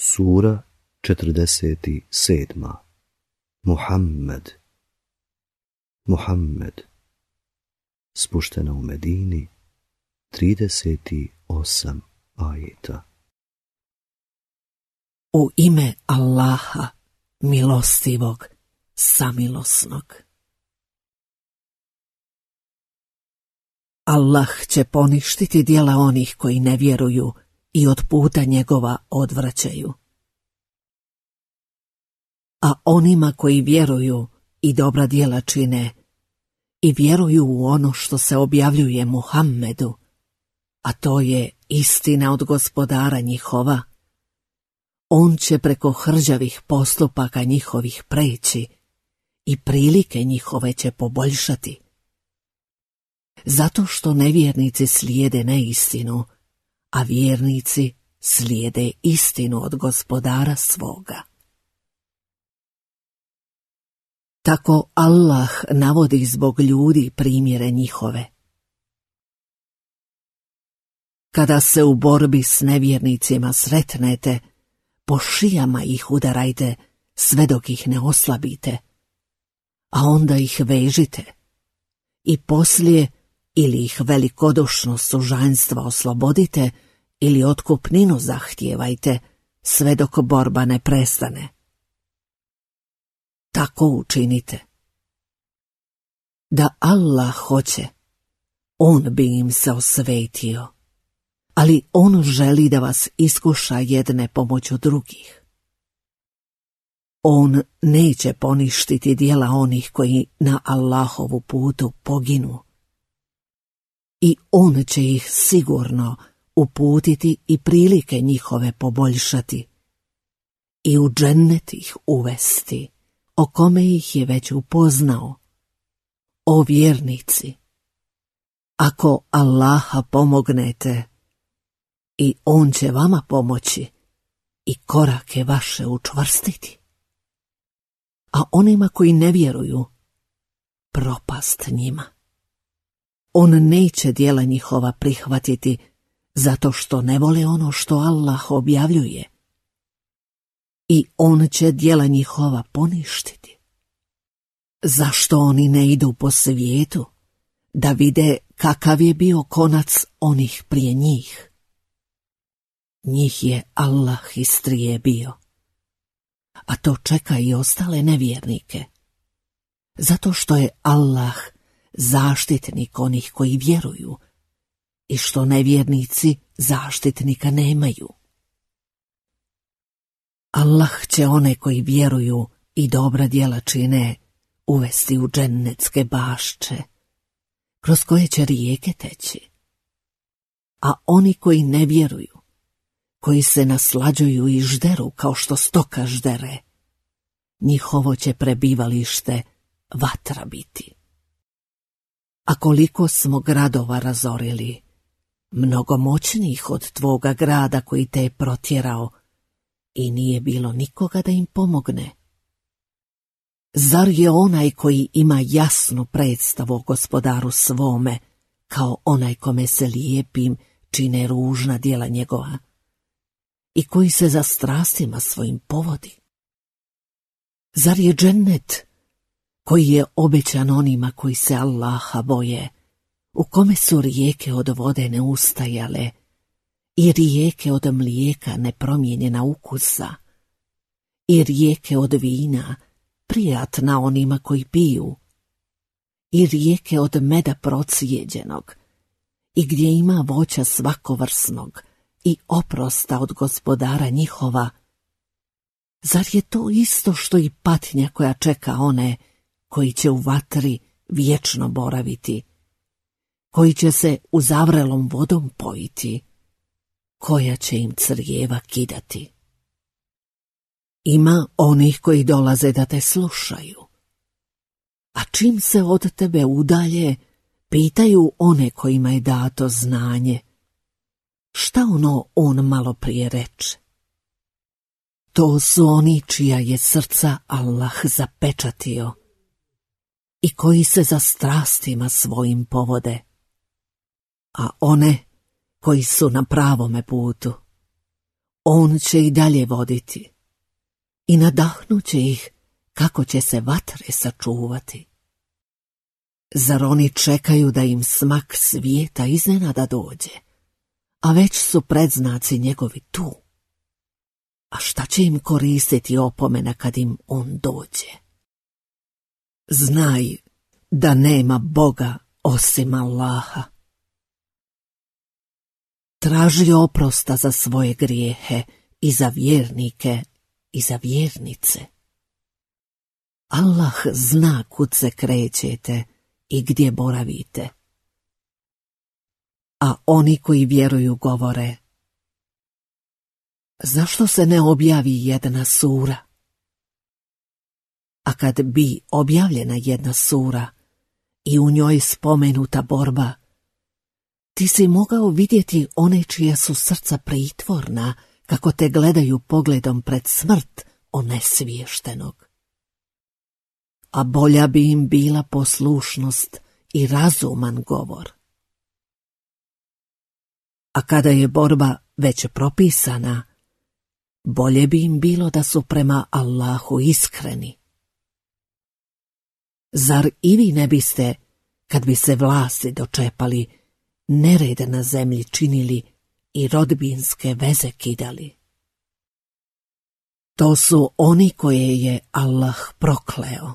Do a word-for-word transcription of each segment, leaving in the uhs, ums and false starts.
Sura četrdeset sedma. Muhammed. Muhammed. Spuštena u Medini, trideset osam ajeta. U ime Allaha, milostivog, samilosnog. Allah će poništiti djela onih koji ne vjeruju i od puta njegova odvraćaju. A onima koji vjeruju i dobra djela čine i vjeruju u ono što se objavljuje Muhammedu, a to je istina od Gospodara njihova, on će preko hrđavih postupaka njihovih preći i prilike njihove će poboljšati. Zato što nevjernici slijede neistinu, a vjernici slijede istinu od Gospodara svoga. Tako Allah navodi zbog ljudi primjere njihove. Kada se u borbi s nevjernicima sretnete, po šijama ih udarajte sve dok ih ne oslabite, a onda ih vežite i poslije ili ih velikodušno sužanjstva oslobodite ili otkupninu zahtijevajte sve dok borba ne prestane. Tako učinite. Da Allah hoće, on bi im se osvetio, ali on želi da vas iskuša jedne pomoću drugih. On neće poništiti djela onih koji na Allahovu putu poginu. I on će ih sigurno uputiti i prilike njihove poboljšati i u džennet ih uvesti, o kome ih je već upoznao. O vjernici, ako Allaha pomognete, i on će vama pomoći i korake vaše učvrstiti. A onima koji ne vjeruju, propast njima. On neće djela njihova prihvatiti zato što ne vole ono što Allah objavljuje. I on će djela njihova poništiti. Zašto oni ne idu po svijetu da vide kakav je bio konac onih prije njih? Njih je Allah istrijebio, a to čeka i ostale nevjernike, zato što je Allah zaštitnik onih koji vjeruju i što nevjernici zaštitnika nemaju. Allah će one koji vjeruju i dobra djela čine uvesti u džennetske bašče, kroz koje će rijeke teći. A oni koji ne vjeruju, koji se naslađuju i žderu kao što stoka ždere, njihovo će prebivalište vatra biti. A koliko smo gradova razorili, mnogo moćnijih od tvoga grada koji te je protjerao, i nije bilo nikoga da im pomogne. Zar je onaj koji ima jasnu predstavu o Gospodaru svome, kao onaj kome se lijepim čine ružna djela njegova, i koji se za strastima svojim povodi? Zar je džennet, koji je obećan onima koji se Allaha boje, u kome su rijeke od vode neustajale i rijeke od mlijeka nepromijenjena ukusa i rijeke od vina prijatna onima koji piju i rijeke od meda procijeđenog i gdje ima voća svakovrsnog i oprosta od Gospodara njihova? Zar je to isto što i patnja koja čeka one koji će u vatri vječno boraviti, koji će se uzavrelom vodom pojiti, koja će im crijeva kidati? Ima onih koji dolaze da te slušaju, a čim se od tebe udalje, pitaju one kojima je dato znanje, šta ono on malo prije reče? To su oni čija je srca Allah zapečatio i koji se za strastima svojim povode, a one koji su na pravome putu, On će i dalje voditi i nadahnuće ih kako će se vatre sačuvati. Zar oni čekaju da im smak svijeta iznenada dođe, a već su predznaci njegovi tu? A šta će im koristiti opomena kad im on dođe? Znaj da nema Boga osim Allaha. Traži oprosta za svoje grijehe i za vjernike i za vjernice. Allah zna kud se krećete i gdje boravite. A oni koji vjeruju govore: zašto se ne objavi jedna sura? A kad bi objavljena jedna sura i u njoj spomenuta borba, ti si mogao vidjeti one čija su srca pritvorna, kako te gledaju pogledom pred smrt onesviještenog. A bolja bi im bila poslušnost i razuman govor. A kada je borba već propisana, bolje bi im bilo da su prema Allahu iskreni. Zar i vi ne biste, kad bi se vlasti dočepali, nered na zemlji činili i rodbinske veze kidali? To su oni koje je Allah prokleo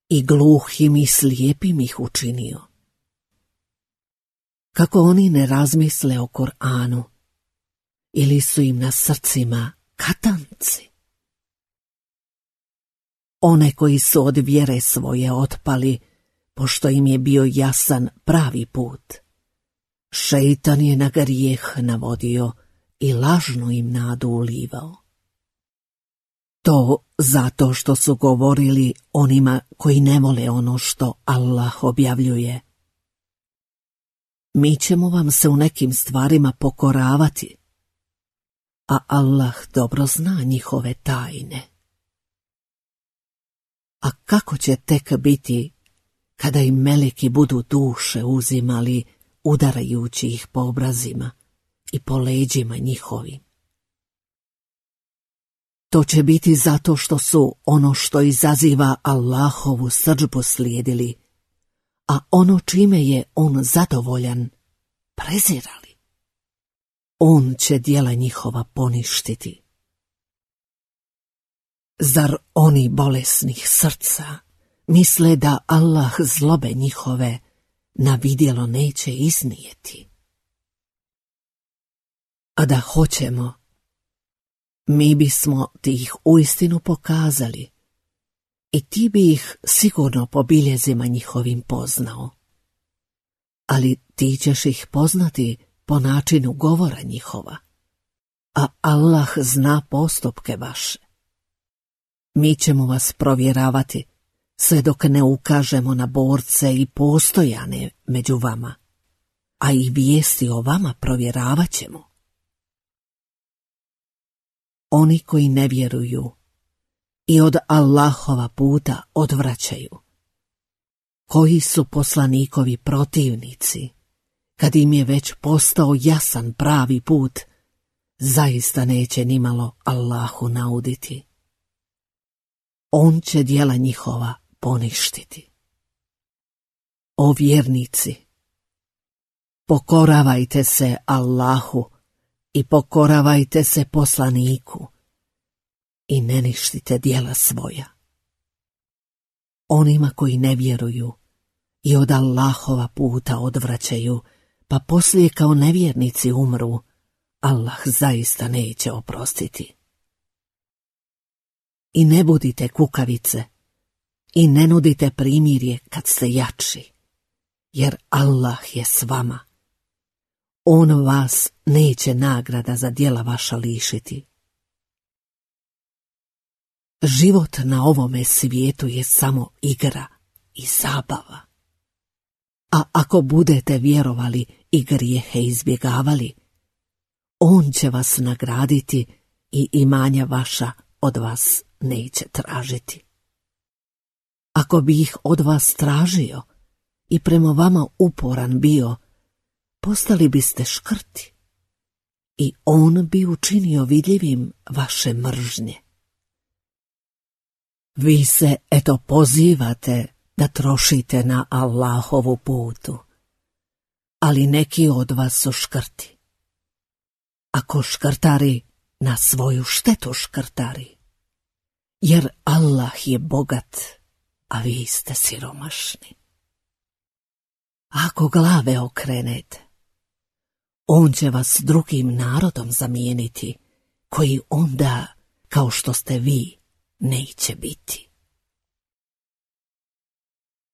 i gluhim i slijepim ih učinio. Kako oni ne razmisle o Kur'anu, ili su im na srcima katanci? One koji su od vjere svoje otpali, pošto im je bio jasan pravi put, šeitan je na grijeh navodio i lažnu im nadu ulivao. To zato što su govorili onima koji ne vole ono što Allah objavljuje: mi ćemo vam se u nekim stvarima pokoravati, a Allah dobro zna njihove tajne. A kako će tek biti kada im meleki budu duše uzimali, udarajući ih po obrazima i po leđima njihovim? To će biti zato što su ono što izaziva Allahovu srdžbu slijedili, a ono čime je on zadovoljan prezirali. On će djela njihova poništiti. Zar oni bolesnih srca misle da Allah zlobe njihove na vidjelo neće iznijeti? A da hoćemo, mi bismo ti ih uistinu pokazali i ti bi ih sigurno po biljezima njihovim poznao. Ali ti ćeš ih poznati po načinu govora njihova, a Allah zna postupke vaše. Mi ćemo vas provjeravati sve dok ne ukažemo na borce i postojane među vama, a i vijesti o vama provjeravat ćemo. Oni koji ne vjeruju i od Allahova puta odvraćaju, koji su poslanikovi protivnici, kad im je već postao jasan pravi put, zaista neće nimalo Allahu nauditi. On će djela njihova poništiti. O vjernici, pokoravajte se Allahu i pokoravajte se poslaniku i ne ništite djela svoja. Onima koji ne vjeruju i od Allahova puta odvraćaju, pa poslije kao nevjernici umru, Allah zaista neće oprostiti. I ne budite kukavice i ne nudite primirje kad ste jači, jer Allah je s vama. On vas neće nagrada za djela vaša lišiti. Život na ovome svijetu je samo igra i zabava. A ako budete vjerovali i grijehe izbjegavali, on će vas nagraditi i imanja vaša od vas neće tražiti. Ako bi ih od vas tražio i prema vama uporan bio, postali biste škrti i on bi učinio vidljivim vaše mržnje. Vi se eto pozivate da trošite na Allahovu putu, ali neki od vas su škrti. Ako škrtari, na svoju štetu škrtari, jer Allah je bogat, a vi ste siromašni. Ako glave okrenete, on će vas drugim narodom zamijeniti, koji onda, kao što ste vi, neće biti.